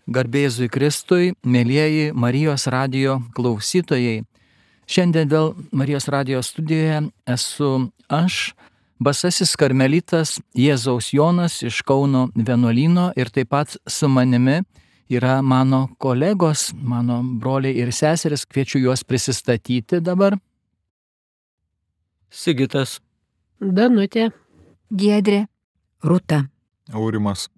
Garbėzui Kristui, mėlyjeji Marijos radijo klausytojai. Šiandien vėl Marijos radijo studijoje esu aš, basasis karmelitas Jėzaus Jonas iš Kauno vienuolyno ir taip pat su manimi yra mano kolegos, mano broliai ir seseris, kviečiu juos prisistatyti dabar. Sigitas, Danutė, Giedrė, Rūta, Aurimas.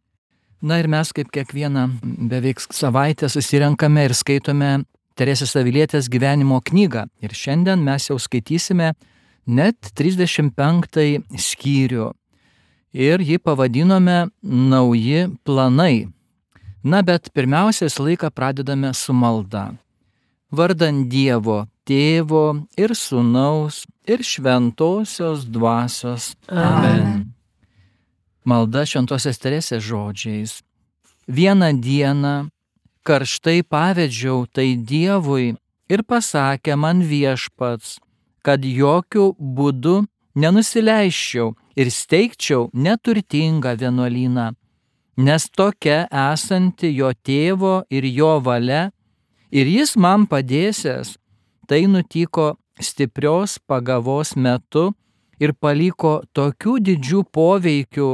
Na ir mes kaip kiekvieną beveik savaitę susirenkame ir skaitome Teresės Avilietės gyvenimo knygą. Ir šiandien mes jau skaitysime net 35 skyrių. Ir jį pavadinome Nauji planai. Na bet pirmiausia, visą laiką pradedame su malda. Vardan Dievo, Tėvo ir Sūnaus ir Šventosios Dvasios. Amen. Malda Šventosios Teresės žodžiais. Vieną dieną karštai pavedžiau tai Dievui ir pasakė man Viešpats, kad jokių būdų nenusileisčiau ir steigčiau neturtingą vienuolyną, nes tokia esanti jo tėvo ir jo valia, ir jis man padėsiąs. Tai nutiko stiprios pagavos metu ir paliko tokių didžių poveikių,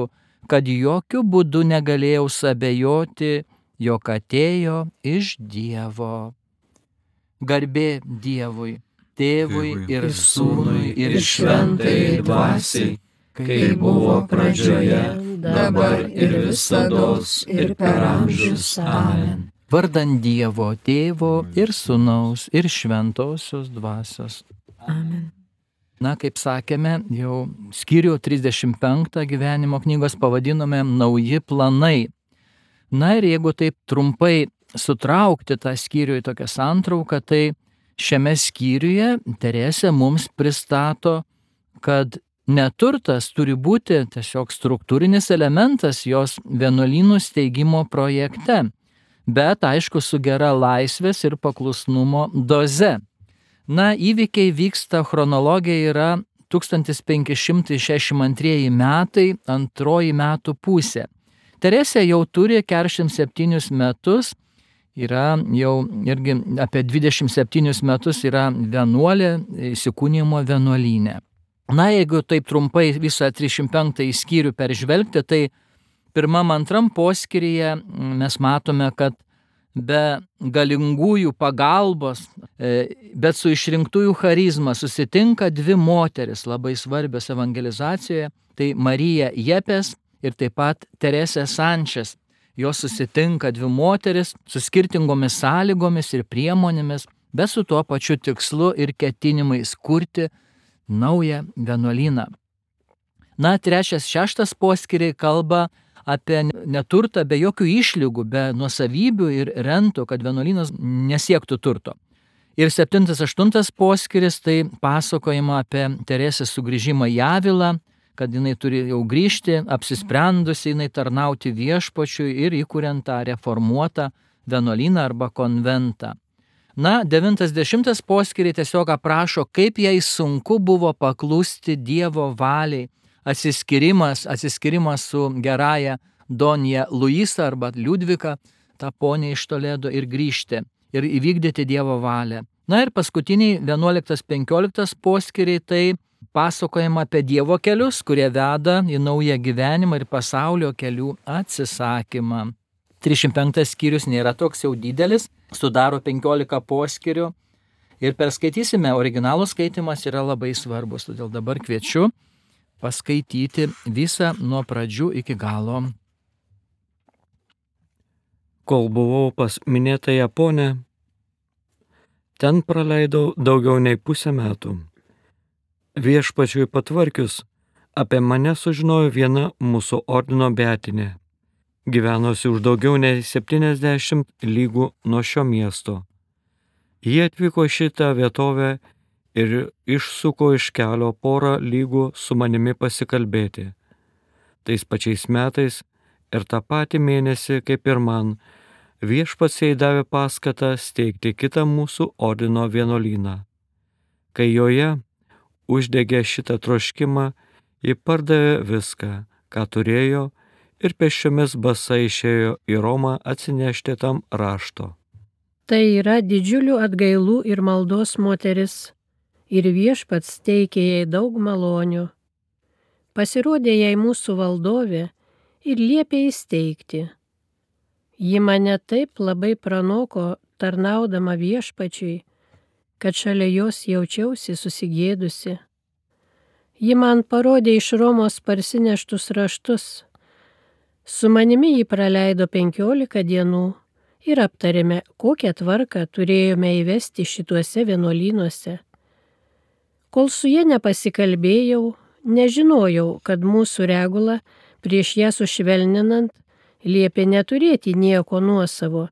kad jokių būdų negalėjau sabejoti, jog atėjo iš Dievo. Garbė Dievui, Tėvui ir Sūnui ir Šventajai Dvasiai, kaip buvo pradžioje, dabar ir visados ir per amžius. Amen. Vardan Dievo, Tėvo ir Sūnaus ir Šventosios Dvasios. Amen. Na, kaip sakėme, jau skyrių 35 gyvenimo knygos pavadinome Nauji planai. Na ir jeigu taip trumpai sutraukti tą skyrių į tokią santrauką, tai šiame skyriuje Teresė mums pristato, kad neturtas turi būti tiesiog struktūrinis elementas jos vienuolynų steigimo projekte, bet aišku su gera laisvės ir paklusnumo doze. Na, įvykiai vyksta, chronologija yra 1562 metai, antroji metų pusė. Teresė jau turi 47 metus, yra jau irgi apie 27 metus yra vienuolė įsikūnijimo vienuolyne. Na, jeigu taip trumpai visą 35 skyrių peržvelgti, tai pirmam, antram poskyryje mes matome, kad be galingųjų pagalbos, bet su išrinktųjų charizma susitinka dvi moteris labai svarbios evangelizacijoje, tai Marija Jepes ir taip pat Teresė Sančes. Jos susitinka dvi moteris su skirtingomis sąlygomis ir priemonėmis, bet su tuo pačiu tikslu ir ketinimais kurti naują vienuolyną. Na, 3, 6 poskyriai kalba apie neturtą be jokių išlygų, be nuosavybių ir rentų, kad vienuolynas nesiektų turto. Ir 7, 8 poskyris tai pasakojama apie Teresės sugrįžimą į Avilą, kad jinai turi jau grįžti, apsisprendusi jinai tarnauti Viešpačiui ir įkuriant tą reformuotą vienuolyną arba konventą. Na, 9-10 poskyriai tiesiog aprašo, kaip jai sunku buvo paklusti Dievo valiai, atsiskyrimas su gerąja Donja Luisa arba Liudvika, tą ponę iš Toledo, ir grįžti ir įvykdyti Dievo valią. Na ir paskutiniai 11-15 poskyriai tai pasakojama apie Dievo kelius, kurie veda į naują gyvenimą ir pasaulio kelių atsisakymą. 35 skyrius nėra toks jau didelis, sudaro 15 poskyrių ir perskaitysime, originalų skaitimas yra labai svarbus, todėl dabar kviečiu paskaityti visą nuo pradžių iki galo. kol buvau pas minėtąją ponę, ten praleidau daugiau nei pusę metų. Viešpačiui patvarkius, apie mane sužinojo viena mūsų ordino beatinė, gyvenusi už daugiau nei 70 lygų nuo šio miesto. Jie atvyko šitą vietovę ir išsuko iš kelio porą lygų su manimi pasikalbėti. Tais pačiais metais ir tą patį mėnesį, kaip ir man, Viešpats jai davė paskatą steigti kitą mūsų ordino vienuolyną. Kai joje uždegė šitą troškimą, ji pardavė viską, ką turėjo, ir pėsčiomis basai išėjo į Romą atsinešti tam rašto. Tai yra didžiulių atgailų ir maldos moteris, ir Viešpats teikė jai daug malonių. Pasirodė jai mūsų valdovė ir liepė įsteigti. Ji mane taip labai pranoko tarnaudama Viešpačiui, kad šalia jos jaučiausi susigėdusi. Ji man parodė iš Romos parsineštus raštus. Su manimi ji praleido 15 dienų ir aptarėme, kokią tvarką turėjome įvesti šituose vienuolynuose. Kol su ja nepasikalbėjau, nežinojau, kad mūsų regula prieš ją sušvelninant liepė neturėti nieko nuosavo.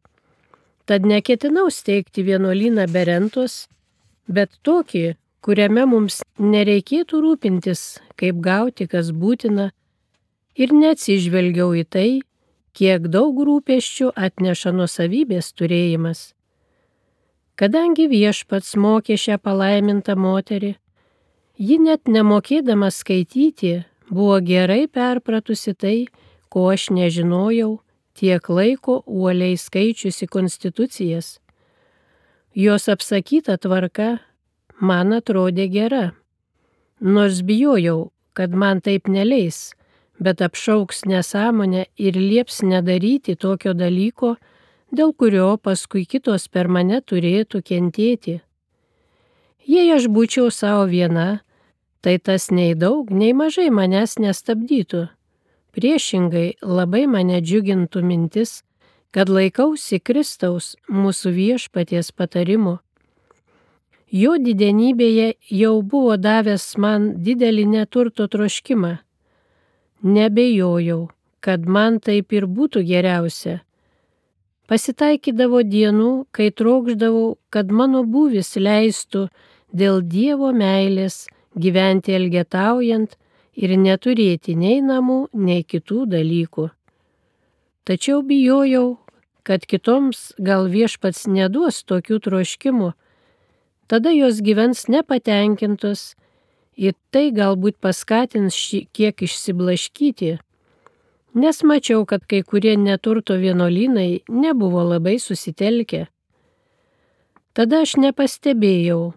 Tad neketinau steigti vienuolyną be rentos, bet tokį, kuriame mums nereikėtų rūpintis, kaip gauti, kas būtina, ir neatsižvelgiau į tai, kiek daug rūpesčių atneša nuosavybės turėjimas. Kadangi Viešpats mokė šią palaimintą moterį, ji net nemokėdama skaityti, buvo gerai perpratusi tai, ko aš nežinojau, tiek laiko uoliai skaičiusi konstitucijas. Jos apsakyta tvarka man atrodė gera, nors bijojau, kad man taip neleis, bet apšauks nesąmonę ir lieps nedaryti tokio dalyko, dėl kurio paskui kitos per mane turėtų kentėti. Jei aš būčiau savo viena, tai tas nei daug, nei mažai manęs nestabdytų. Priešingai labai mane džiugintų mintis, kad laikausi Kristaus mūsų Viešpaties patarimu. Jo didenybėje jau buvo davęs man didelį neturto troškimą. Nebejojau, kad man taip ir būtų geriausia. Pasitaikydavo dienų, kai trokšdavau, kad mano būvis leistų dėl Dievo meilės gyventi elgetaujant ir neturėti nei namų, nei kitų dalykų. Tačiau bijojau, kad kitoms gal Viešpats neduos tokių troškimų, tada jos gyvens nepatenkintos ir tai galbūt paskatins kiek išsiblaškyti, nes mačiau, kad kai kurie neturto vienuolynai nebuvo labai susitelkę. Tada aš nepastebėjau,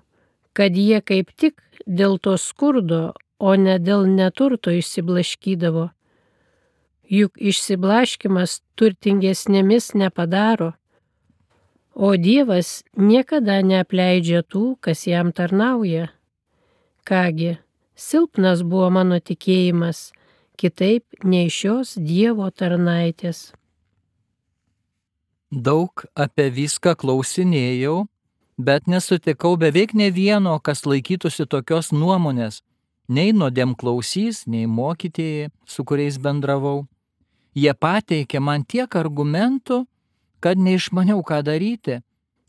kad jie kaip tik dėl to skurdo, o ne dėl neturto išsiblaškydavo. Juk išsiblaškimas turtingesnėmis nepadaro, o Dievas niekada neapleidžia tų, kas jam tarnauja. Kągi, silpnas buvo mano tikėjimas, kitaip nei šios Dievo tarnaitės. Daug apie viską klausinėjau, bet nesutikau beveik ne vieno, kas laikytųsi tokios nuomonės, nei nuodėmklausys, nei mokytėjai, su kuriais bendravau. Jie pateikė man tiek argumentų, kad neišmaniau, ką daryti,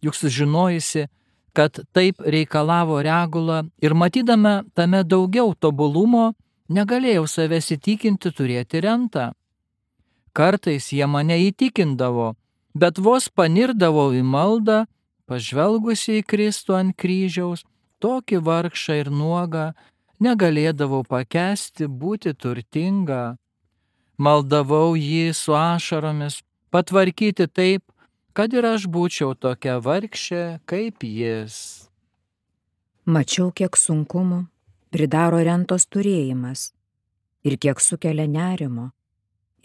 juk sužinojusi, kad taip reikalavo regula ir matydama tame daugiau tobulumo, negalėjau savęs įtikinti turėti rentą. Kartais jie mane įtikindavo, bet vos panirdavau į maldą, pažvelgusi į Kristų ant kryžiaus, tokį vargšą ir nuogą, negalėdavau pakęsti būti turtinga. Maldavau jį su ašaromis, patvarkyti taip, kad ir aš būčiau tokia vargšė kaip jis. Mačiau, kiek sunkumų pridaro rentos turėjimas ir kiek sukelia nerimo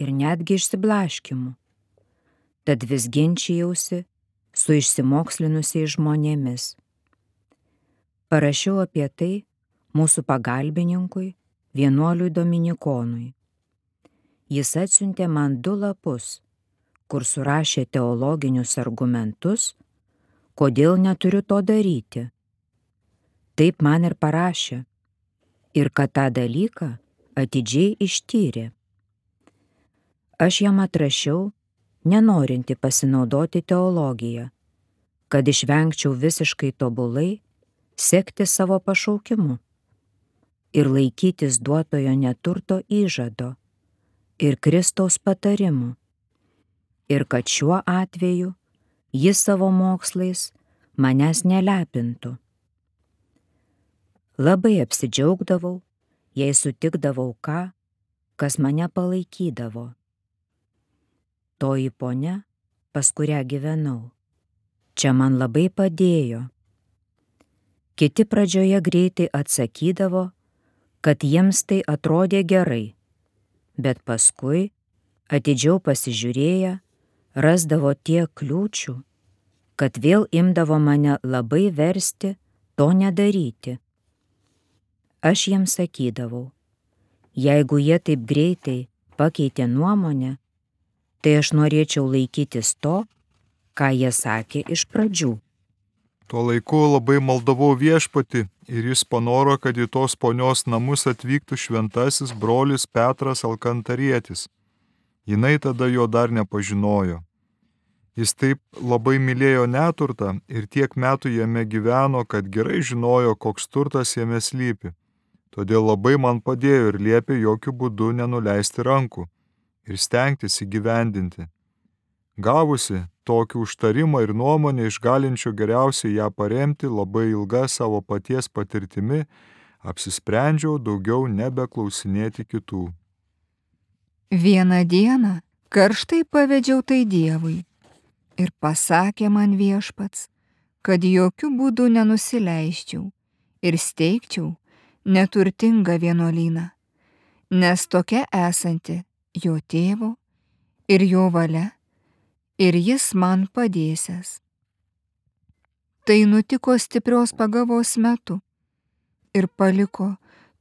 ir netgi išsiblaškimų. Tad vis ginčijausi su išsimokslinusiais žmonėmis. Parašiau apie tai mūsų pagalbininkui, vienuoliui Dominikonui. Jis atsiuntė man 2 lapus, kur surašė teologinius argumentus, kodėl neturiu to daryti. Taip man ir parašė, ir kad tą dalyką atidžiai ištyrė. Aš jam atrašiau, nenorinti pasinaudoti teologiją, kad išvengčiau visiškai tobulai sekti savo pašaukimu ir laikytis duotojo neturto įžado ir Kristaus patarimų, ir kad šiuo atveju jis savo mokslais manęs nelepintų. Labai apsidžiaugdavau, jei sutikdavau ką, kas mane palaikydavo, toji ponia, pas kurią gyvenau. Čia man labai padėjo. Kiti pradžioje greitai atsakydavo, kad jiems tai atrodė gerai, bet paskui, atidžiau pasižiūrėję, rasdavo tiek kliūčių, kad vėl imdavo mane labai versti to nedaryti. Aš jiems sakydavau, jeigu jie taip greitai pakeitė nuomonę, tai aš norėčiau laikytis to, ką jie sakė iš pradžių. Tuo laiku labai maldavau Viešpatį ir jis panoro, kad į tos ponios namus atvyktų šventasis brolis Petras Alkantarietis. Jinai tada jo dar nepažinojo. Jis taip labai mylėjo neturtą ir tiek metų jame gyveno, kad gerai žinojo, koks turtas jame slypi. Todėl labai man padėjo ir liepė jokių būdų nenuleisti rankų ir stengtis įgyvendinti. Gavusi tokį užtarimą ir nuomonę išgalinčių geriausiai ją paremti labai ilga savo paties patirtimi, apsisprendžiau daugiau nebeklausinėti kitų. Vieną dieną karštai pavedžiau tai Dievui ir pasakė man Viešpats, kad jokių būdų nenusileisčiau ir steigčiau neturtingą vienuolyną, nes tokia esanti jo tėvo ir jo valia, ir jis man padėsias. Tai nutiko stiprios pagavos metu ir paliko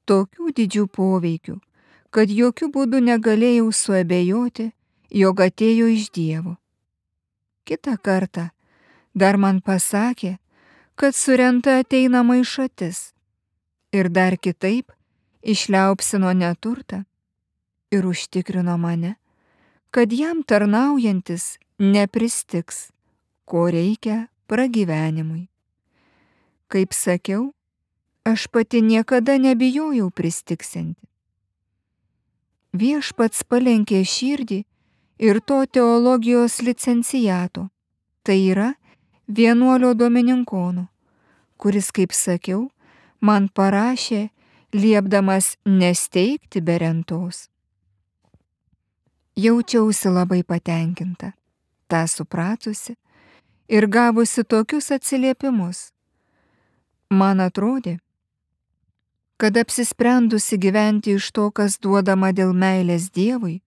tokių didžių poveikių, kad jokių būdų negalėjau suabejoti, jog atėjo iš Dievo. Kitą kartą dar man pasakė, kad surenta ateina maišatis ir dar kitaip išliaupsino neturtą ir užtikrino mane, kad jam tarnaujantis nepristigs, ko reikia pragyvenimui. Kaip sakiau, aš pati niekada nebijojau pristigsianti. Viešpats palenkė širdį ir to teologijos licenciato, tai yra vienuolio Domininkono, kuris, kaip sakiau, man parašė, liepdamas nesteigti be rentos. Jaučiausi labai patenkinta, tą supratusi ir gavusi tokius atsiliepimus. Man atrodė, kad apsisprendusi gyventi iš to, kas duodama dėl meilės Dievui,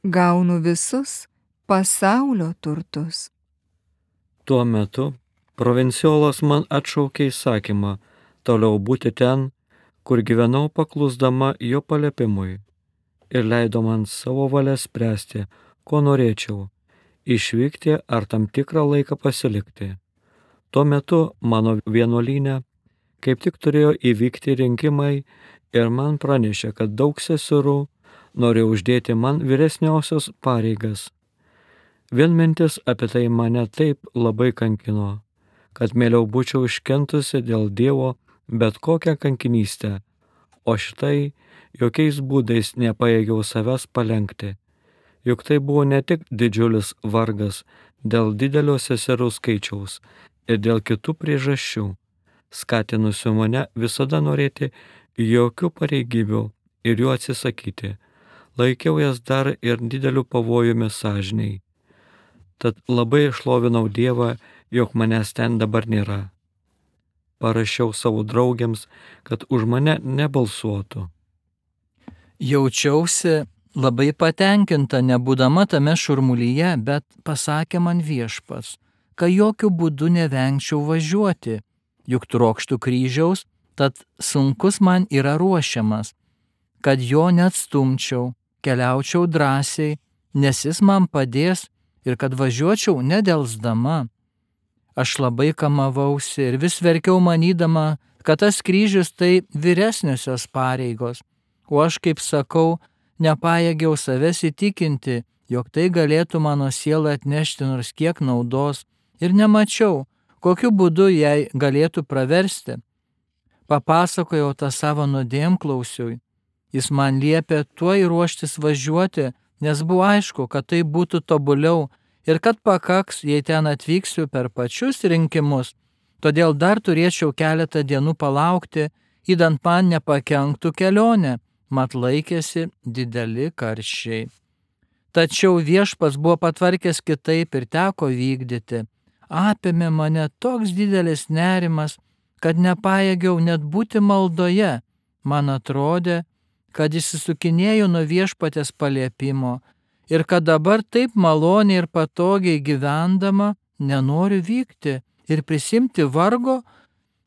gaunu visus pasaulio turtus. Tuo metu provinciolas man atšaukė įsakymą toliau būti ten, kur gyvenau paklusdama jo paliepimui ir leido man savo valią spręsti, ko norėčiau – išvykti ar tam tikrą laiką pasilikti. Tuo metu mano vienuolyne kaip tik turėjo įvykti rinkimai ir man pranešė, kad daug seserų nori uždėti man vyresniausios pareigas. Vien mintis apie tai mane taip labai kankino, kad mieliau būčiau iškentusi dėl Dievo bet kokią kankinystę, o šitai jokiais būdais nepajėgiau savęs palenkti. Juk tai buvo ne tik didžiulis vargas dėl didelio seserų skaičiaus ir dėl kitų priežasčių, skatinusių mane visada norėti jokių pareigybių ir jų atsisakyti. Laikiau jas dar ir dideliu pavojumi sąžinei. Tad labai šlovinau Dievą, jog manęs ten dabar nėra. Parašiau savo draugėms, kad už mane nebalsuotų. Jaučiausi labai patenkinta, nebūdama tame šurmulyje, bet pasakė man Viešpats, kad jokių būdų nevengčiau važiuoti, juk trokštų kryžiaus, tad sunkus man yra ruošiamas, kad jo neatstumčiau, keliaučiau drąsiai, nes jis man padės ir kad važiuočiau nedelsdama. Aš labai kamavausi ir vis verkiau manydama, kad tas kryžius tai vyresniosios pareigos, o aš, kaip sakau, nepajėgiau savęs įtikinti, jog tai galėtų mano sielą atnešti nors kiek naudos ir nemačiau, kokiu būdu jai galėtų praversti. Papasakojau tą savo nuodėmklausiui. Jis man liepė tuoj ruoštis važiuoti, nes buvo aišku, kad tai būtų tobuliau ir kad pakaks, jei ten atvyksiu per pačius rinkimus, todėl dar turėčiau keletą dienų palaukti, įdant man nepakenktų kelionę, mat laikėsi dideli karščiai. tačiau viešpats buvo patvarkęs kitaip ir teko vykdyti. Apėmė mane toks didelis nerimas, kad nepajėgiau net būti maldoje. Man atrodė, kad išsisukinėjau nuo viešpatės paliepimo ir kad dabar taip maloniai ir patogiai gyvendama nenoriu vykti ir prisimti vargo,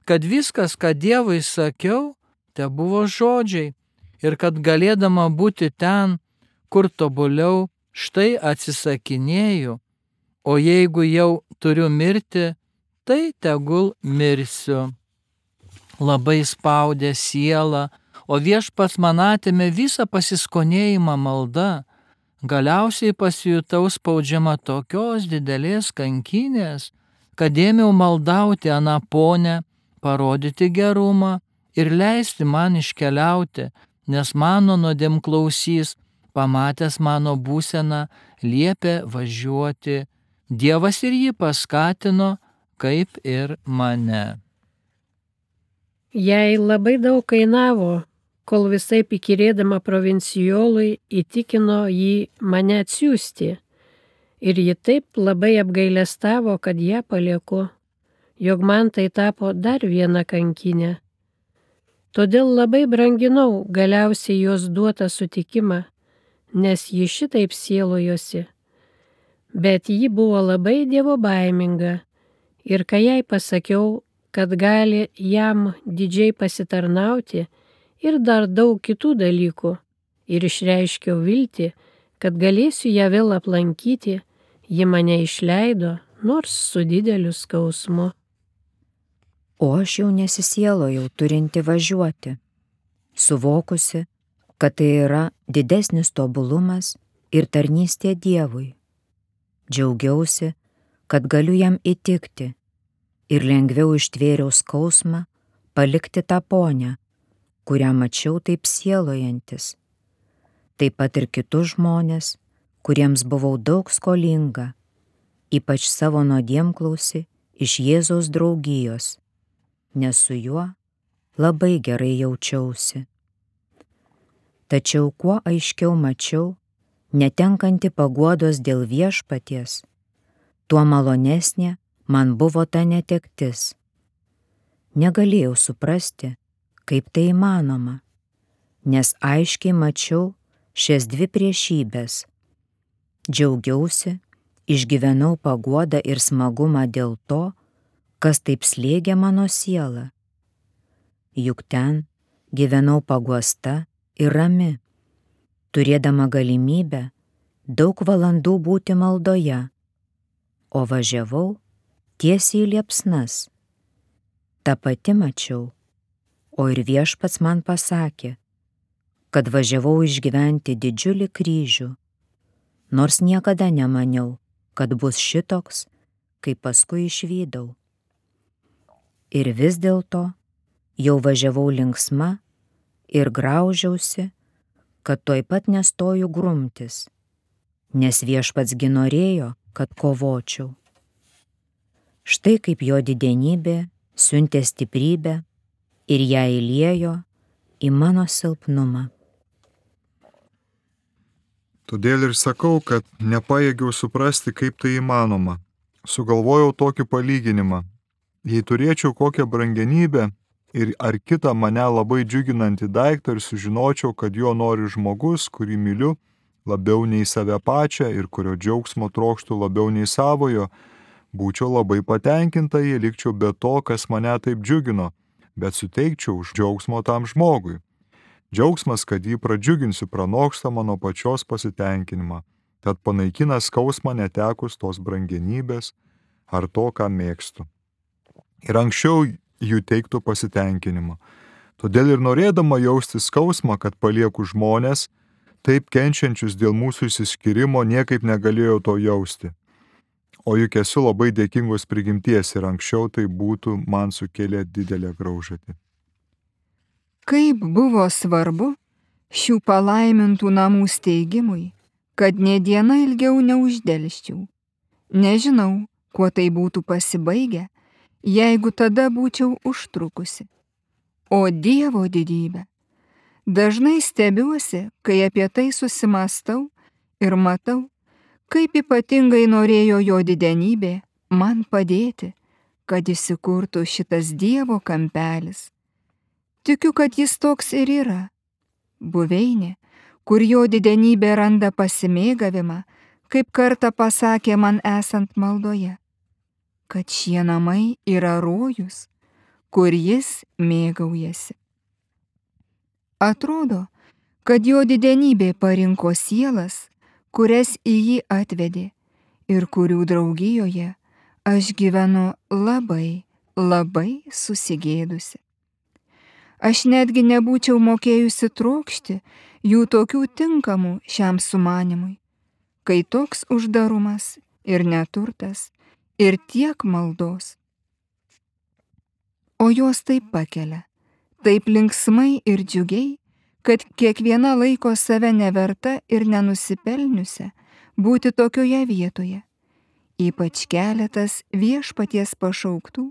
kad viskas, ką Dievui sakiau, te buvo žodžiai ir kad galėdama būti ten, kur tobuliau, štai atsisakinėju, o jeigu jau turiu mirti, tai tegul mirsiu. Labai spaudė sielą, o viešpats man atėmė visą pasiskonėjimą malda. Galiausiai pasijutau spaudžiama tokios didelės kankinės, kad ėmiau maldauti aną ponę, parodyti gerumą ir leisti man iškeliauti, nes mano nuodėmklausys, pamatęs mano būseną, liepė važiuoti. Dievas ir jį paskatino, kaip ir mane. Jai labai daug kainavo, kol visaip įkyrėdama provincijolui įtikino jį mane atsiųsti. Ir ji taip labai apgailestavo, kad ją palieku, jog man tai tapo dar viena kankinė. Todėl labai branginau galiausiai jos duotą sutikimą, nes ji šitaip sielojosi. Bet ji buvo labai dievobaiminga ir kai jai pasakiau, kad gali jam didžiai pasitarnauti ir dar daug kitų dalykų, ir išreiškiau viltį, kad galėsiu ją vėl aplankyti, ji mane išleido, nors su dideliu skausmu. O aš jau nesisielojau turinti važiuoti, suvokusi, kad tai yra didesnis tobulumas ir tarnystė Dievui. Džiaugiausi, kad galiu jam įtikti ir lengviau ištvėriau skausmą palikti tą ponę, kurią mačiau taip sielojantis. Taip pat ir kitus žmonės, kuriems buvau daug skolinga, ypač savo nuodėmklausį iš Jėzaus draugijos, nes su juo labai gerai jaučiausi. Tačiau kuo aiškiau mačiau, netenkanti paguodos dėl viešpaties, tuo malonesnė man buvo ta netektis. Negalėjau suprasti, kaip tai įmanoma, nes aiškiai mačiau šias dvi priešybės. Džiaugiausi, išgyvenau paguodą ir smagumą dėl to, kas taip slėgė mano sielą. Juk ten gyvenau paguosta ir rami, turėdama galimybę daug valandų būti maldoje, o važiavau tiesiai į liepsnas. Ta pati mačiau, o ir viešpats man pasakė, kad važiavau išgyventi didžiulį kryžių, nors niekada nemaniau, kad bus šitoks, kaip paskui išvydau. Ir vis dėlto jau važiavau linksma ir graužiausi, kad tuoj pat nestoju grumtis, nes viešpatsgi norėjo, kad kovočiau. Štai kaip jo didenybė siuntė stiprybę ir ją įliejo į mano silpnumą. Todėl ir sakau, kad nepajėgiau suprasti, kaip tai įmanoma. Sugalvojau tokį palyginimą. Jei turėčiau kokią brangenybę ir ar kitą mane labai džiuginantį daiktą ir sužinočiau, kad jo nori žmogus, kurį myliu labiau nei save pačią ir kurio džiaugsmo trokštų labiau nei savojo, būčiau labai patenkinta, jei likčiau be to, kas mane taip džiugino, bet suteikčiau už džiaugsmo tam žmogui. Džiaugsmas, kad jį pradžiuginsiu, pranoksta mano pačios pasitenkinimą, tad panaikina skausmą netekus tos brangenybės ar to, ką mėgstu. Ir anksčiau jų teiktų pasitenkinimą. Todėl ir norėdama jausti skausmą, kad palieku žmonės, taip kenčiančius dėl mūsų išsiskyrimo, niekaip negalėjau to jausti. O juk esu labai dėkingos prigimties ir anksčiau tai būtų man sukėlę didelę graužatį. Kaip buvo svarbu šių palaimintų namų steigimui, kad nė diena ilgiau neuždelsčiau. Nežinau, kuo tai būtų pasibaigę, jeigu tada būčiau užtrukusi. O Dievo didybė. Dažnai stebiuosi, kai apie tai susimastau ir matau, kaip ypatingai norėjo jo didenybė man padėti, kad įsikurtų šitas Dievo kampelis. Tikiu, kad jis toks ir yra. Buveinė, kur jo didenybė randa pasimėgavimą, kaip kartą pasakė man esant maldoje, kad šie namai yra rojus, kur jis mėgaujasi. Atrodo, kad jo didenybė parinko sielas, kurias į jį atvedė ir kurių draugijoje aš gyvenu labai, labai susigėdusi. Aš netgi nebūčiau mokėjusi trokšti jų tokių tinkamų šiam sumanimui, kai toks uždarumas ir neturtas ir tiek maldos. O jos taip pakelia, taip linksmai ir džiugiai, kad kiekviena laiko save neverta ir nenusipelniusią būti tokioje vietoje, ypač keletas Viešpaties pašauktų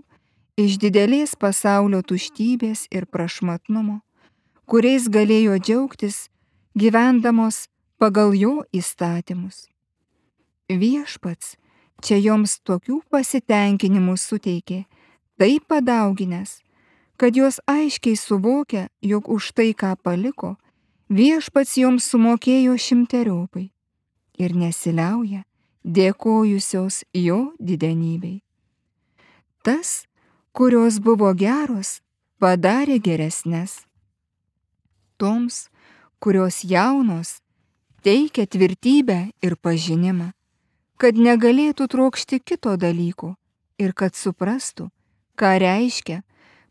iš didelės pasaulio tuštybės ir prašmatnumo, kuriais galėjo džiaugtis gyvendamos pagal jo įstatymus. Viešpats čia joms tokių pasitenkinimų suteikė, taip padauginęs, kad jos aiškiai suvokia, jog už tai, ką paliko, Viešpats joms sumokėjo 100-eriopai ir nesiliauja dėkojusios jo didenybei. Tas, kurios buvo geros, padarė geresnes. Toms, kurios jaunos, teikia tvirtybę ir pažinimą, kad negalėtų trokšti kito dalyko ir kad suprastų, ką reiškia,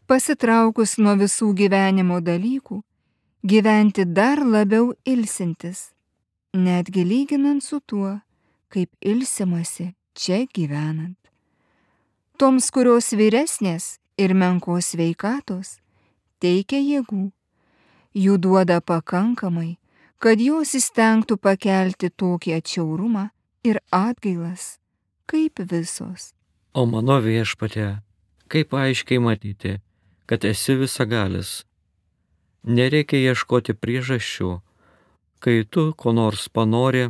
pasitraukus nuo visų gyvenimo dalykų, gyventi dar labiau ilsintis, netgi lyginant su tuo, kaip ilsimasi čia gyvenant. Toms, kurios vyresnės ir menkos sveikatos, teikia jėgų, jų duoda pakankamai, kad jos įstengtų pakelti tokį atšiaurumą ir atgailas, kaip visos. O mano Viešpatie, kaip aiškiai matyti, kad esi visagalis. Nereikia ieškoti priežasčių, kai tu ko nors panori,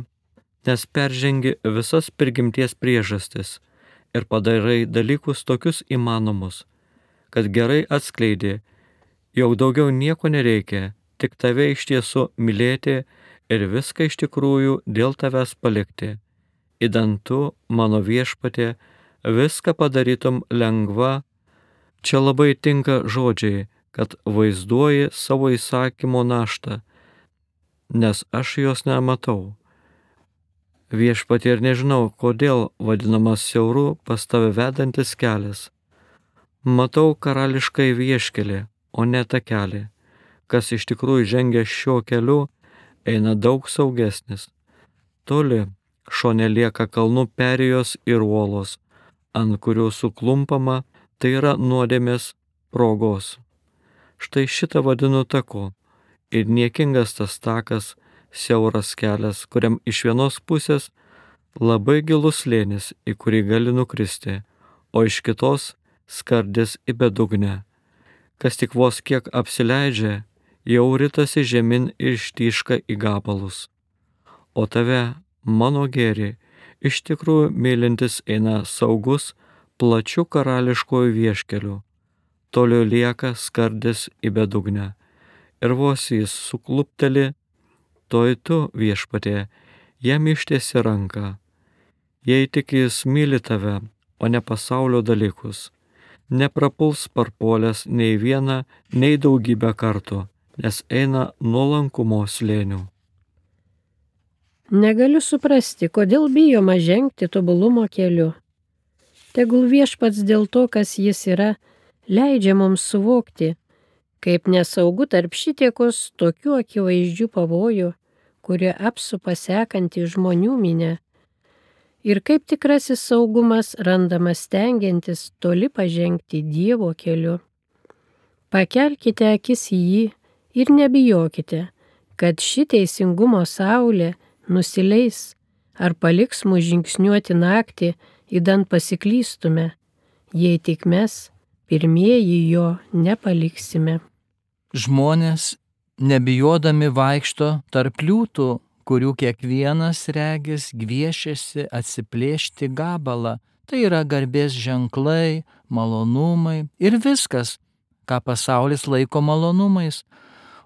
nes peržengi visas prigimties priežastis ir padarai dalykus tokius įmanomus, kad gerai atskleidi, jog daugiau nieko nereikia, tik tave iš tiesų mylėti ir viską iš tikrųjų dėl tavęs palikti. Idant tu, mano Viešpatie, viską padarytum lengva. Čia labai tinka žodžiai, kad vaizduoji savo įsakymo naštą, nes aš jos nematau. Viešpatie, ir nežinau, kodėl vadinamas siauru pas tave vedantis kelias. Matau karališkai vieškelį, o ne takelį. Kas iš tikrųjų žengia šiuo keliu, eina daug saugesnis. Toli šone lieka kalnų perėjos ir uolos, ant kurių suklumpama, tai yra nuodėmės progos. Štai šitą vadinu taku, ir niekingas tas takas, siauras kelias, kuriam iš vienos pusės labai gilus slėnis, į kurį gali nukristi, o iš kitos skardis į bedugnę. Kas tik vos kiek apsileidžia, jau ritasi žemyn ir ištyška į gabalus. O tave, mano gėri, iš tikrųjų mylintis eina saugus, plačiu karališkoju vieškeliu. Toliau lieka skardis į bedugnę. Ir vos jis suklupteli, toj tu, Viešpatie, jam ištiesi ranką. Jei tik jis myli tave, o ne pasaulio dalykus, neprapuls parpuolęs nei vieną, nei daugybę kartų, nes eina nuolankumo slėniu. Negaliu suprasti, kodėl bijoma žengti tobulumo keliu. Tegul Viešpats dėl to, kas jis yra, leidžia mums suvokti, kaip nesaugu tarp šitiekos tokių akivaizdžių pavojų, kurie apsupa sekantį žmonių minę, ir kaip tikrasis saugumas randamas stengiantis toli pažengti Dievo keliu. Pakelkite akis į jį ir nebijokite, kad ši teisingumo saulė nusileis ar paliks mus žingsniuoti naktį, idant pasiklystume, jei tik mes pirmieji jo nepaliksime. Žmonės, nebijodami vaikšto tarp liūtų, kurių kiekvienas regis gviešiasi atsiplėšti gabalą. Tai yra garbės ženklai, malonumai ir viskas, ką pasaulis laiko malonumais.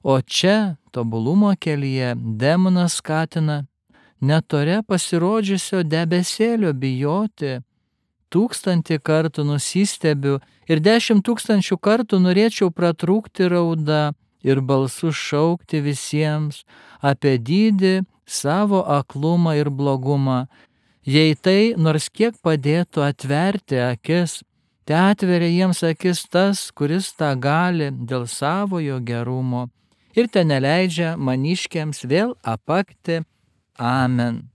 O čia, tobulumo kelyje, demonas skatina netore pasirodžiusio debesėlio bijoti. 1000 kartų nusistebiu ir 10 000 kartų norėčiau pratrūkti rauda ir balsu šaukti visiems apie dydį savo aklumą ir blogumą. Jei tai nors kiek padėtų atverti akis, te atveria jiems akis tas, kuris tą gali dėl savojo gerumo ir te neleidžia maniškiams vėl apakti. Amen.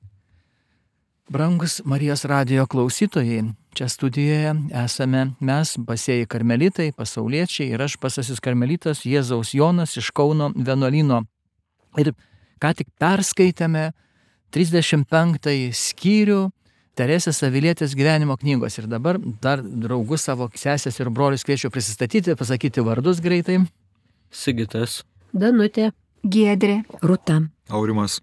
Brangus Marijos radijo klausytojai, čia studijoje esame mes, basieji karmelitai, pasauliečiai ir aš, pasasis karmelitas Jėzaus Jonas iš Kauno vienuolyno. Ir ką tik perskaitėme 35 skyrių Teresės Avilietės gyvenimo knygos. Ir dabar dar draugus savo sesės ir brolius kviečiu prisistatyti, pasakyti vardus greitai. Sigitas. Danutė. Giedrė. Rūta. Aurimas.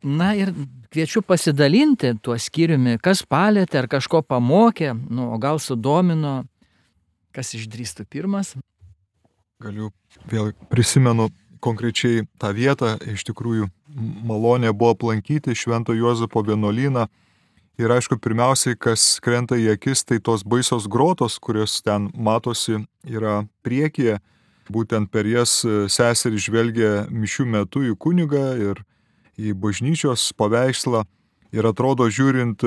Na ir kviečiu pasidalinti tuo skyriumi, kas palėtė ar kažko pamokė, o gal sudomino, kas išdrįstų pirmas. Galiu vėl prisimenu konkrečiai tą vietą, iš tikrųjų malonė buvo aplankyti Švento Juozapo vienuolyną. Ir aišku, pirmiausiai, kas krenta į akis, tai tos baisios grotos, kurios ten matosi, yra priekyje. Būtent per jas seserys žvelgia mišių metu į kunigą ir į bažnyčios paveikslą. Ir atrodo, žiūrint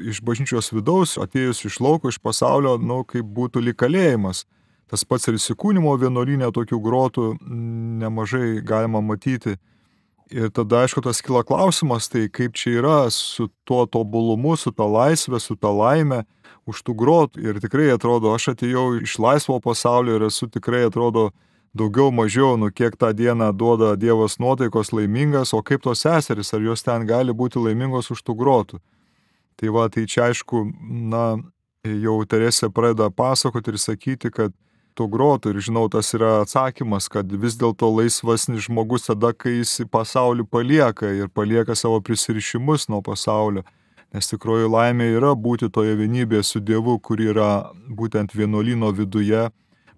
iš bažnyčios vidaus, atėjus iš lauko, iš pasaulio, kaip būtų lyg kalėjimas. Tas pats ir įsikūnimo vienuolyne tokių grotų nemažai galima matyti. Ir tada, aišku, tas kyla klausimas, tai kaip čia yra su tuo tobulumu, su ta laisvė, su ta laime už tų grotų. Ir tikrai atrodo, aš atėjau iš laisvo pasaulio ir esu tikrai, atrodo, daugiau mažiau, kiek tą dieną duoda Dievas nuotaikos laimingas, o kaip tos seserys, ar jos ten gali būti laimingos už tų grotų. Tai čia aišku, jau Teresė pradeda pasakoti ir sakyti, kad tų grotų, ir žinau, tas yra atsakymas, kad vis dėlto laisvasnis žmogus tada, kai jis pasaulį palieka ir palieka savo prisirišimus nuo pasaulio. Nes tikroji laimė yra būti toje vienybėje su Dievu, kur yra būtent vienuolyno viduje.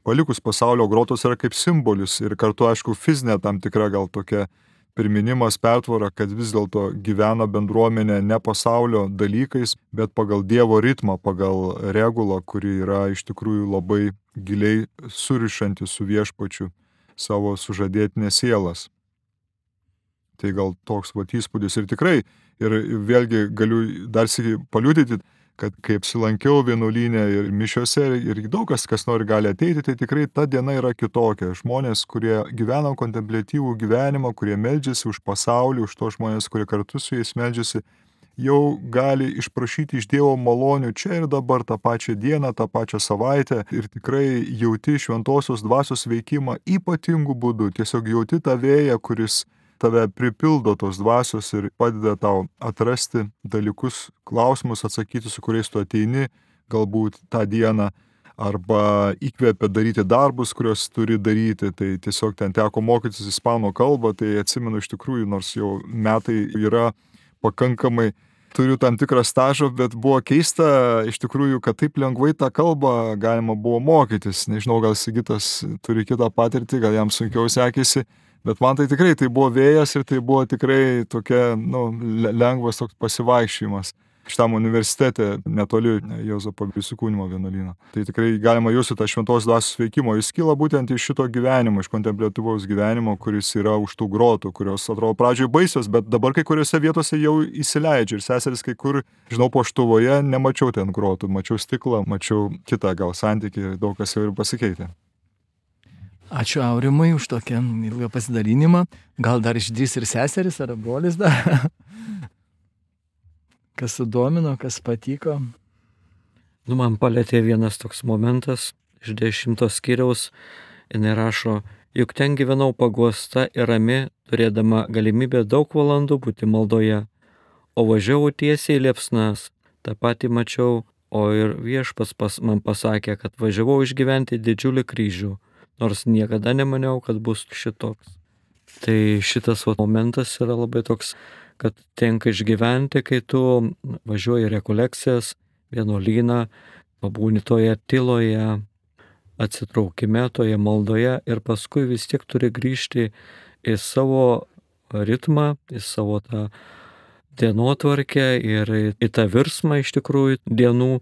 Palikus pasaulio, grotos yra kaip simbolis ir kartu, aišku, fizinė tam tikra gal tokia priminimas, pertvara, kad vis dėlto gyvena bendruomenė ne pasaulio dalykais, bet pagal Dievo ritmą, pagal regulą, kuri yra iš tikrųjų labai giliai surišanti su viešpačiu savo sužadėtinės sielas. Tai gal toks įspūdis ir tikrai, ir vėlgi galiu dar sykį paliudyti, kad kai apsilankiau vienuolyne ir mišiose ir daug kas nori gali ateiti, tai tikrai ta diena yra kitokia. Žmonės, kurie gyvena kontempliatyvų gyvenimą, kurie meldžiasi už pasaulį, už tos žmonės, kurie kartu su jais meldžiasi, jau gali išprašyti iš Dievo malonių čia ir dabar tą pačią dieną, tą pačią savaitę ir tikrai jauti šventosios dvasios veikimą ypatingų būdų. Tiesiog jauti tą vėją, kuris tave pripildo tos dvasios ir padeda tau atrasti dalykus, klausimus atsakyti, su kuriais tu ateini galbūt tą dieną, arba įkvėpia daryti darbus, kuriuos turi daryti. Tai tiesiog ten teko mokytis ispanų kalbą, tai atsimenu iš tikrųjų, nors jau metai yra pakankamai, turiu tam tikrą stažą, bet buvo keista iš tikrųjų, kad taip lengvai tą kalbą galima buvo mokytis. Nežinau, gal Sigitas turi kitą patirtį, gal jam sunkiau sekėsi. Bet man tai tikrai tai buvo vėjas ir tai buvo tikrai tokia lengvas toks pasivaikščiojimas šitam universitete netoli Juozapo įsikūnimo vienuolyno. Tai tikrai galima jūsų tą šventos dvasios veikimo. Jis kyla būtent iš šito gyvenimo, iš kontempliatyvaus gyvenimo, kuris yra už tų grotų, kurios atrodo pradžioje baisios, bet dabar kai kuriuose vietose jau įsileidžia. Ir seseris kai kur, žinau, Poštuvoje nemačiau ten grotų, mačiau stiklą, mačiau kitą gal santykį, daug kas jau ir pasikeitė. Ačiū Aurimui už tokią ilgą pasidalinimą. Gal dar išdrįs ir seseris ar brolis dar? Kas sudomino, kas patiko? Man palėtė vienas toks momentas iš 10 skyriaus. Jinai rašo, juk ten gyvenau paguosta ir rami, turėdama galimybę daug valandų būti maldoje. O važiavau tiesiai į liepsnas. Ta pati mačiau, o ir viešpats man pasakė, kad važiavau išgyventi didžiulį kryžių. Nors niekada nemaniau, kad bus šitoks. Tai šitas momentas yra labai toks, kad tenka išgyventi, kai tu važiuoji į rekolekcijas, vienuolyną, pabūni toje tyloje, atsitraukime, toje maldoje ir paskui vis tiek turi grįžti į savo ritmą, į savo tą dienotvarkę ir į tą virsmą iš tikrųjų dienų.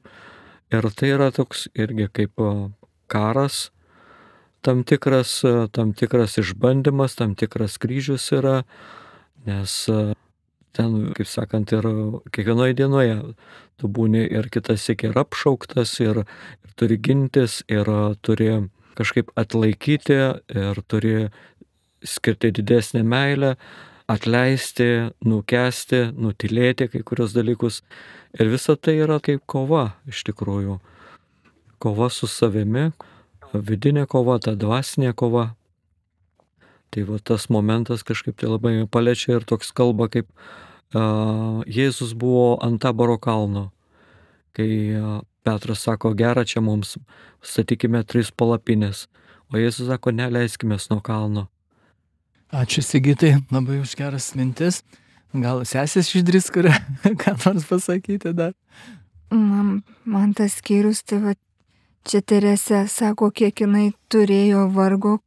Ir tai yra toks irgi kaip karas, tam tikras išbandymas, tam tikras kryžius yra, nes ten, kaip sakant, ir kiekvienoje dienoje tu būni ir kitas ir apšauktas, ir turi gintis, ir turi kažkaip atlaikyti, ir turi skirti didesnę meilę, atleisti, nukęsti, nutilėti kai kurios dalykus. Ir visa tai yra kaip kova iš tikrųjų. Kova su savimi, vidinė kova, ta dvasinė kova. Tai va tas momentas kažkaip tai labai paliečia ir toks kalba, kaip Jėzus buvo ant Taboro kalno. Kai Petras sako, gera čia mums, statykime 3 palapinės. O Jėzus sako, neleiskime nuo kalno. Ačiū Sigitai, labai už geras mintis. Gal sesės išdrįs, kurią ką nors pasakyti dar? Man tas skyrius, tai va, čia Teresė sako, kiek jinai turėjo vargo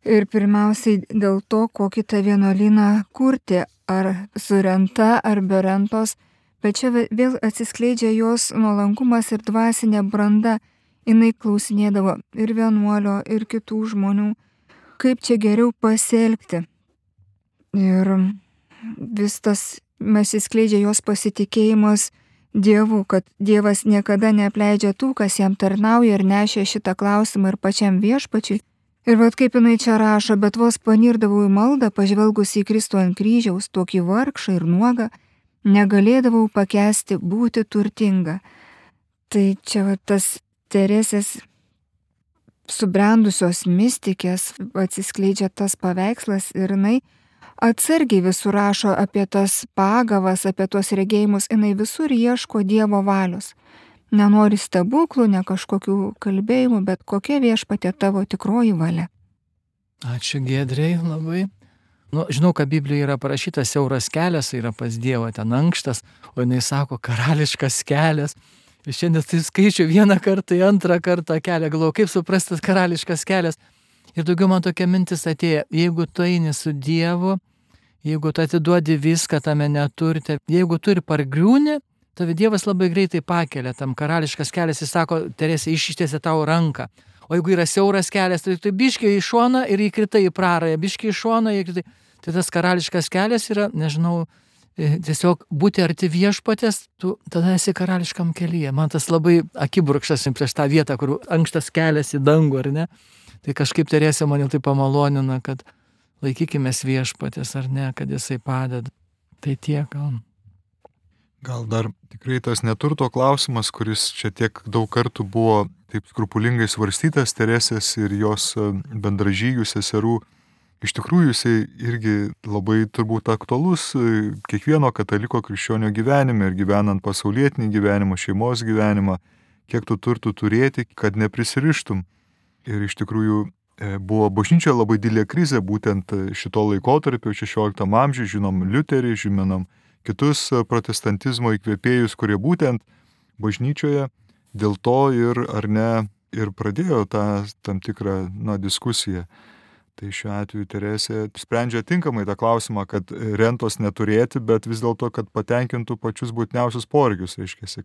ir pirmiausiai dėl to, kokį tą vienuolyną kurti, ar su renta, ar be rentos, bet čia vėl atsiskleidžia jos nuolankumas ir dvasinė branda. Jinai klausinėdavo ir vienuolio, ir kitų žmonių, kaip čia geriau pasielgti. Ir vis tas atsiskleidžia jos pasitikėjimas Dievu, kad Dievas niekada neapleidžia tų, kas jam tarnauja ir nešė šitą klausimą ir pačiam viešpačiui. Ir vat kaip jinai čia rašo, bet vos panirdavau į maldą, pažvelgus į Kristų ant kryžiaus, tokį vargšą ir nuogą, negalėdavau pakęsti būti turtinga. Tai čia vat tas Teresės subrendusios mistikės atsiskleidžia tas paveikslas ir jinai atsargiai visur rašo apie tas pagavas, apie tuos regėjimus, jinai visur ieško Dievo valios. Nenori stebuklų, ne kažkokių kalbėjimų, bet kokia viešpatie tavo tikroji valia. Ačiū Giedrei labai. Žinau, kad Biblijoje yra parašytas siauras kelias, yra pas Dievą ten ankštas, o jinai sako karališkas kelias. Ir šiandien tai skaičiu vieną kartą, antrą kartą kelią, galvoju, kaip suprastas karališkas kelias. Ir daugiau man tokia mintis atėjo, jeigu tu eini su Dievu, jeigu tu atiduodi viską tame neturite, jeigu tu ir pargriūni, tavi Dievas labai greitai pakelia, tam karališkas kelias, jis sako, Teresė, ištiesė tau ranką. O jeigu yra siauras kelias, tai tu biškiai į šoną ir įkritai į prarąją, biškiai į šoną ir įkritai. Tai tas karališkas kelias yra, nežinau, tiesiog būti arti viešpatės, tu tada esi karališkam kelyje. Man tas labai akibrukštas prieš tą vietą, kur ankštas kelias į dangų, ar ne? Tai kažkaip Teresė mane tai pamalonina, kad laikykimės viešpatės, ar ne, kad jisai padeda. Tai tiek gal. Gal dar tikrai tas neturto klausimas, kuris čia tiek daug kartų buvo taip skrupulingai svarstytas Teresės ir jos bendražygių seserų, iš tikrųjų jisai irgi labai turbūt aktualus kiekvieno kataliko krikščionio gyvenime ir gyvenant pasaulietinį gyvenimą, šeimos gyvenimą, kiek tu turtų turėti, kad neprisirištum. Ir iš tikrųjų buvo bažnyčioje labai didelė krizė būtent šito laikotarpio 16 amžiuje, žinom Liuterį, žinom kitus protestantizmo įkvėpėjus, kurie būtent bažnyčioje dėl to ir ar ne ir pradėjo tą tam tikrą diskusiją. Tai šiuo atveju Teresė sprendžia tinkamai tą klausimą, kad rentos neturėti, bet vis dėlto, kad patenkintų pačius būtiniausius poreikius, reiškia,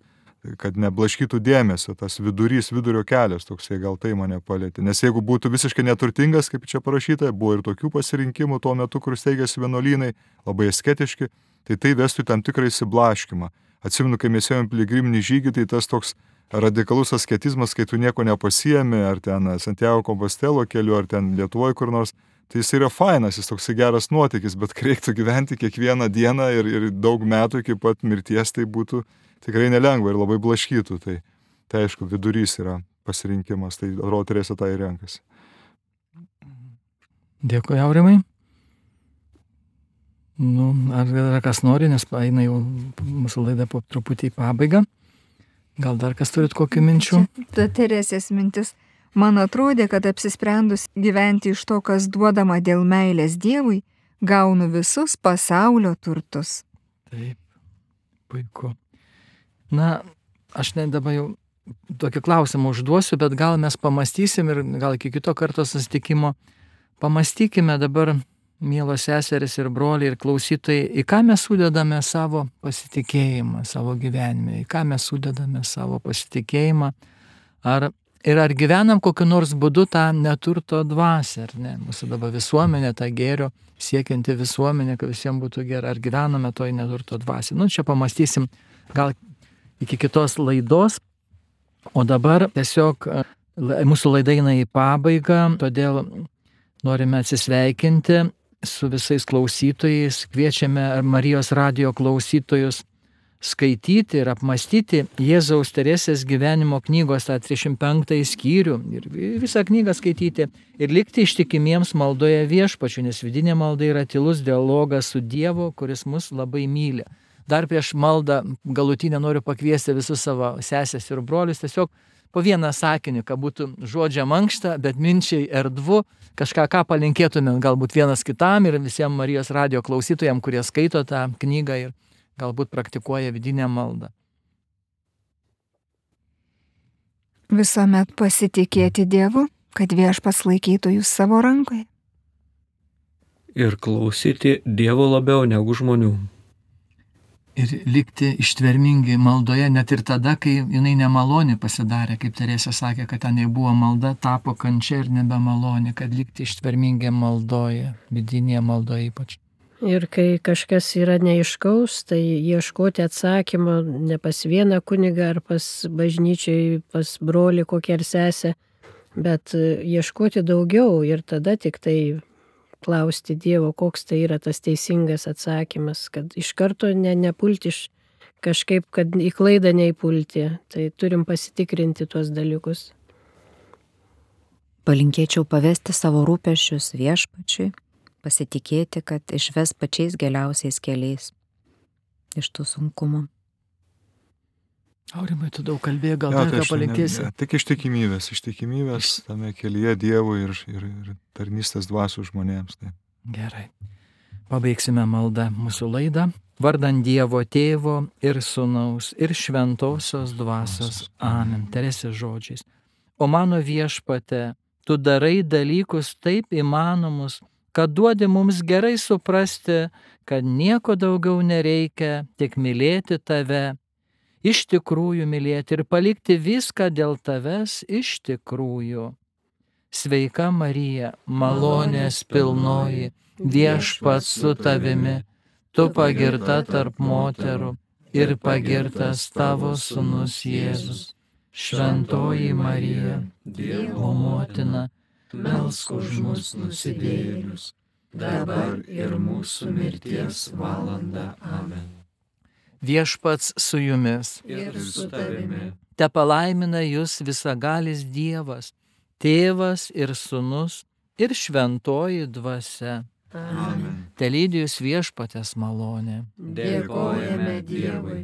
kad neblaškytų dėmesio, tas vidurio kelias, toksai gal tai mane palėtė. Nes jeigu būtų visiškai neturtingas, kaip čia parašyta, buvo ir tokių pasirinkimų tuo metu, kur steigėsi vienuolynai, labai asketiški, tai vestų tam tikrą įsiblaškymą. Atsimenu, kai mes ėjom piligriminį žygį, tai tas toks radikalus asketizmas, kai tu nieko nepasiemi, ar ten Santiago Kompostelo keliu, ar ten Lietuvoje kur nors, tai jis yra fainas, jis toksai geras nuotykis, bet kai reiktų gyventi kiekvieną dieną ir daug metų iki pat mirties, tai būtų tikrai nelengva ir labai blaškytų. Tai aišku, vidurys yra pasirinkimas, tai atrodo Teresė tą ir renkasi. Dėkui, Aurimai. Ar kas nori, nes eina jau mūsų laida po truputį į pabaigą. Gal dar kas turit kokių minčių? Ta Teresės mintis. Man atrodė, kad apsisprendus gyventi iš to, kas duodama dėl meilės Dievui, gaunu visus pasaulio turtus. Taip, puiku. Na, aš dabar jau tokį klausimą užduosiu, bet gal mes pamastysim ir gal iki kito karto susitikimo pamastykime dabar, mielos seserys ir broliai ir klausytojai, į ką mes sudedame savo pasitikėjimą savo gyvenime, į ką mes sudedame savo pasitikėjimą, ar gyvenam kokiu nors būdu tą neturto dvasią, ar ne? Mūsų dabar visuomenė, ta gėrio siekianti visuomenė, kad visiems būtų gerai, ar gyvename toj neturto dvasią. Čia pamastysim gal iki kitos laidos, o dabar tiesiog mūsų laida eina į pabaigą, todėl norime atsisveikinti su visais klausytojais, kviečiame Marijos radijo klausytojus skaityti ir apmastyti Jėzaus Teresės gyvenimo knygos tą 35 skyrių ir visą knygą skaityti ir likti ištikimiems maldoje Viešpačiui, nes vidinė malda yra tylus dialogas su Dievu, kuris mus labai myli. Dar prieš maldą galutinę noriu pakviesti visus savo sesės ir brolius tiesiog po vieną sakinį, kad būtų žodžia mankšta, bet minčiai erdvu, kažką, ką palinkėtume galbūt vienas kitam ir visiems Marijos radijo klausytojams, kurie skaito tą knygą ir galbūt praktikuoja vidinę maldą. Visuomet pasitikėti Dievu, kad Viešpats laikytų jūs savo rankoje. Ir klausyti Dievo labiau negu žmonių. Ir likti ištvermingi maldoje, net ir tada, kai jinai nemaloni pasidarė, kaip Teresė sakė, kad ten buvo malda, tapo kančia ir nebemaloni, kad likti ištvermingi maldoje, vidinėje maldoje ypač. Ir kai kažkas yra neaiškaus, tai ieškoti atsakymo ne pas vieną kunigą ar pas bažnyčiai, pas brolį kokią ar sesę, bet ieškoti daugiau ir tada tik tai klausti Dievo, koks tai yra tas teisingas atsakymas, kad iš karto nepulti kažkaip, kad į klaidą neįpulti. Tai turim pasitikrinti tuos dalykus. Palinkėčiau pavesti savo rūpesčius Viešpačiui, pasitikėti, kad išves pačiais geriausiais keliais iš tų sunkumų. Aurimai, tu daug kalbėjai, gal dar ką palinkėsi? Tik ištikimybės tame kelyje Dievui ir tarnystės dvasių žmonėms. Tai. Gerai. Pabaigsime maldą mūsų laidą. Vardant Dievo Tėvo ir Sūnaus ir Šventosios dvasios. Amen. Teresės žodžiais. O mano Viešpate, tu darai dalykus taip įmanomus, kad duodi mums gerai suprasti, kad nieko daugiau nereikia, tik mylėti tave, iš tikrųjų mylėti ir palikti viską dėl tavęs iš tikrųjų. Sveika Marija, malonės pilnoji, Viešpats su tavimi, tu pagirta tarp moterų ir pagirtas tavo sūnus Jėzus. Šventoji Marija, Dievo motina, melsk už mus nusidėjėlius, dabar ir mūsų mirties valanda. Amen. Viešpats su jumis Ir su tavimi. te palaimina jūs visagalis Dievas, Tėvas ir Sūnus ir Šventoji Dvasia. Amen. Te lydi jūs Viešpaties malonė. Dėkojame Dievui.